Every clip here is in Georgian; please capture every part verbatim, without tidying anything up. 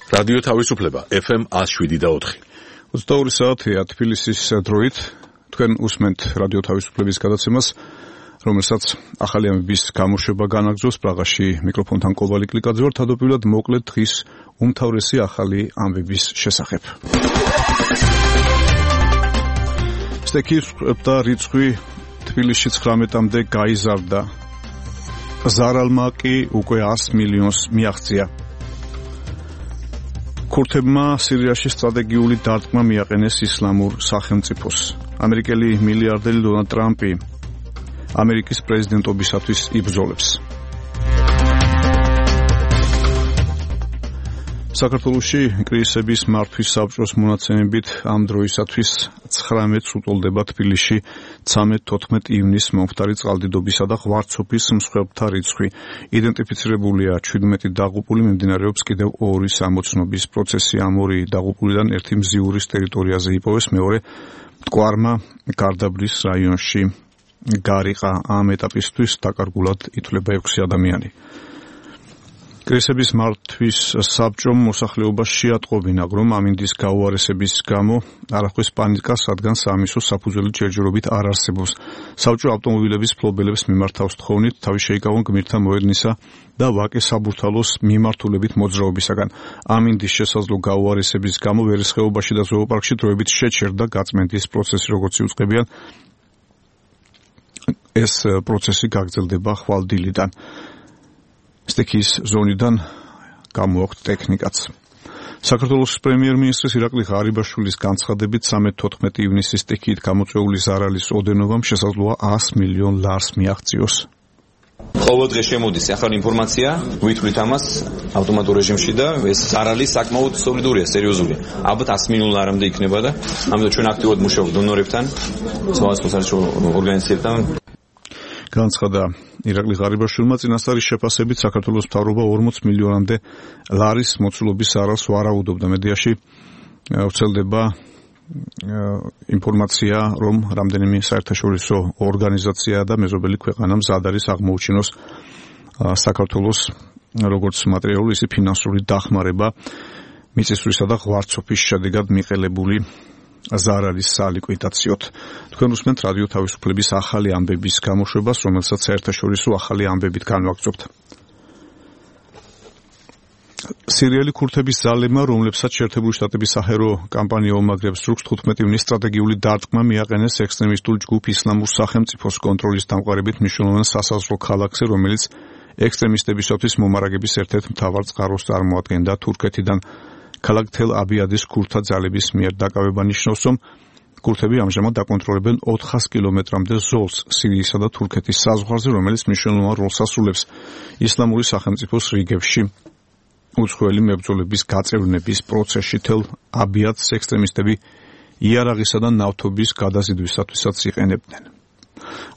რადიო თავისუფლება ეფ ემ one oh seven point four. ოცდაორი საათია თბილისის დროით. თქვენ უსმენთ რადიო თავისუფლების გადაცემას, რომელსაც ახალი ამბების გამოშვება განაგრძობს პრაღაში. მიკროფონთან კობალი კლიკაძე ვარ. თავდაპირველად მოკლედ დღის უმთავრესი ახალი ამბების შესახებ. სტექის და რიცხვი თბილისში ცხრამეტამდე გაიზარდა. ზარალმა კი უკვე one hundred მილიონს მიაღწია. ქურთებმა სირიაში სტრატეგიული დარტყმა მიაყენეს ისლამურ სახელმწიფოს. ამერიკელი მილიარდერი დონალდ ტრამპი ამერიკის პრეზიდენტობისათვის იბრძოლებს. საქართველოში კრიზისების მართვის საბჭოს მონაცემებით ამ დროისათვის ცხრამეტს უტოლდება თბილისში ცხრამეტ-თოთხმეტ ივნისს მომხდარი წყალდიდობისა და ღვარცოფის მსხვერპლთა რიცხვი. იდენტიფიცირებულია შვიდმეტი დაღუპული, მიმდინარეობს კიდევ ორი სამოცნობის პროცესი. ამ ორი დაღუპულიდან ერთი მზიურის ტერიტორიაზე იპოვეს, მეორე მტკვარმა გარდაბრის რაიონში გარიყა. ამ ეტაპისთვის დაკარგულად ითვლება ექვსი ადამიანი. კრიზისების მართვის საბჭომ მოსახლეობას შეატყობინა, რომ ამინდის გაუარესების გამო არ ახდენს პანიკას, რადგან საამისოს საფუძველი ჯერჯერობით არ არსებობს. საბჭო ავტომობილების ფლობელებს მიმართავს თხოვნით, თავი შეიკავონ გმირთა მოედნისა და ვაკე საბურთალოს მიმართულებით მოძრაობისაგან. ამინდის შესაძლო გაუარესების გამო ვერცხეობაში და ზოოპარკში დროებით შეჩერდა გაწმენდის პროცესი, როგორც იუწყებიან. ეს პროცესი გაგრძელდება ხვალდილიდან. სტექის ზონიდან გამოაქვთ ტექნიკაც. საქართველოს პრემიერ-მინისტრის ირაკლი ღარიბაშვილის განცხადებით ცხრამეტ-თოთხმეტ ივნისის სტექით გამოწვეული ზარალის ოდენობამ შესაძლოა one hundred მილიონ ლარს მიაღწიოს. ყოველ დღე შემოდის ახალი ინფორმაცია, ვითვლით ამას ავტომატურ რეჟიმში და ეს ზარალი საკმაოდ სოლიდურია, სერიოზულია. ალბათ one hundred მილიონ ლარამდე იქნება და ამიტომ ჩვენ აქტიურად მუშაობთ დონორებთან, სხვადასხვა საერთაშორისო ორგანიზაციებთან. განცხადა ირაკლი ღარიბაშვილმა. წინასწარის შეფასებით საქართველოს მთავრობა ორმოც მილიონამდე ლარის მოცულობის ზარალს ვარაუდობდა. მედიაში ვრცელდება ინფორმაცია, რომ რამდენიმე საერთაშორისო ორგანიზაცია და მეზობელი ქვეყანა მზად არის აღმოუჩინოს საქართველოს როგორც მატერიალური, ისე ფინანსური დახმარება მიწისძვრისა და ღვარცოფის შედეგად მიყელებული ზარალის სალიკვიდაციოდ. თქვენ უსმენთ რადიო თავისუფლების ახალი ამბების გამოშვებას, რომელსაც საერთაშორისო ახალი ამბებით განვაგრძობთ. სირიელი ქურთების ძალებმა, რომლებსაც შეერთებული შტატების საჰერო კამპანია უმაგრებს რუქს, თხუთმეტ ივნისს სტრატეგიული დარტყმა მიაყენეს ექსტრემისტულ ჯგუფ ისლამურ სახელმწიფოს კონტროლის დამყარებით მნიშვნელოვან სასაზღვრო ქალაქზე, რომელიც ექსტრემისტებისათვის მომარაგების ერთ-ერთ მთავარ წყაროს წარმოადგენდა. თურქეთიდან ქალაქ თელ-აბიადის ქურთთა ძალების მიერ დაკავება ნიშნავს, რომ ქურთები ამჟამად დაკონტროლებენ ოთხას კილომეტრამდე ზოლს სირიისა და თურქეთის საზღვარზე, რომელიც მნიშვნელოვან როლს ასრულებს ისლამური სახელმწიფოს რიგებში უცხოელი მებრძოლების გაწევრნების პროცესში. თელ-აბიადს ექსტრემისტები იარაღისა და ნავთობის გადაზიდვისათვისაც იყენებდნენ.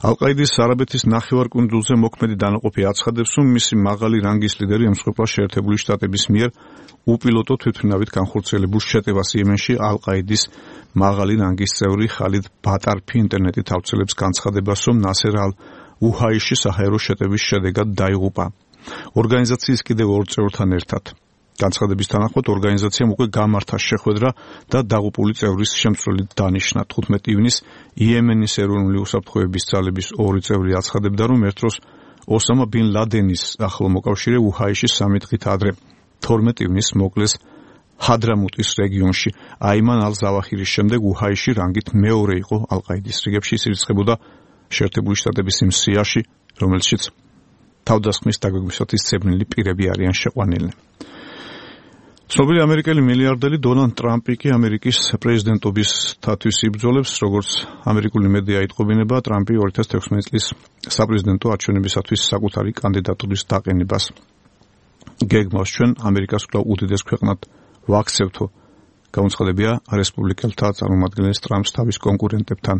ალ-ყაიდის არაბეთის ნახევარკუნძულზე მოქმედი დანაყოფი აცხადებს, რომ მისი მაღალი რანგის ლიდერი ემსხვერპლა შეერთებული შტატების მიერ უპილოტო თვითმფრინავით განხორციელებულ შეტევას იემენში. ალ-ყაიდის მაღალი რანგის წევრი ხალიდ ბატარფი ინტერნეტით ავრცელებს განცხადებას, რომ ნასერ ალ-უჰაიში საჰაერო შეტევის შედეგად დაიღუპა ორგანიზაციის კიდევ ორ წევრთან ერთად. განცხადების თანახმად ორგანიზაციამ უკვე გამართა შეხვედრა და დაღუპული წევრის შემცვლელით დანიშნა. თხუთმეტ ივნისს იემენის ეროვნული უსაფრთხოების ძალების ორი წევრი აცხადებდა, რომ ერთ დროს ოსამა ბინ ლადენის ახლო მოკავშირე უჰაიში სამი დღით ადრე თორმეტ ივნისს მოკლეს ჰადრამუტის რეგიონში. აიმან ალ-ზავაჰირის შემდეგ უჰაიში რანგით მეორე იყო ალ-ყაიდის რიგებში. ის ირიცხებოდა შეერთებული შტატების იმ სიაში, რომელშიც თავდასხმის დაგვეგვისათვის ცებრნილი პირები არიან შეყვანილნი. ცნობილი ამერიკელი მილიარდერი დონალდ ტრამპი კი ამერიკის პრეზიდენტობისათვის იბრძოლებს. როგორც ამერიკული მედია იტყობინება, ტრამპი ორი ათას თექვსმეტი წლის საპრეზიდენტო არჩევნებისათვის საკუთარი კანდიდატურის დაყენებას გეგმავს. ჩვენ ამერიკას კვლავ უდიდეს ქვეყნად ვაქცევთო. გამოცხადებია რესპუბლიკელთა წარმომადგენლის ტრამპს თავის კონკურენტებთან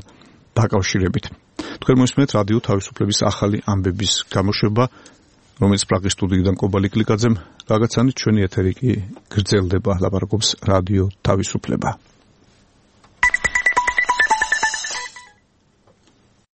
დაკავშირებით. თქვენ მოსმენთ რადიო თავისუფლების ახალი ამბების გამოშვება, რომელიც პრაღის სტუდიიდან კობალი კლიკაძემ გაგაცანით. ჩვენი ეთერი კი გრძელდება, ლაპარაკობს რადიო თავისუფლება.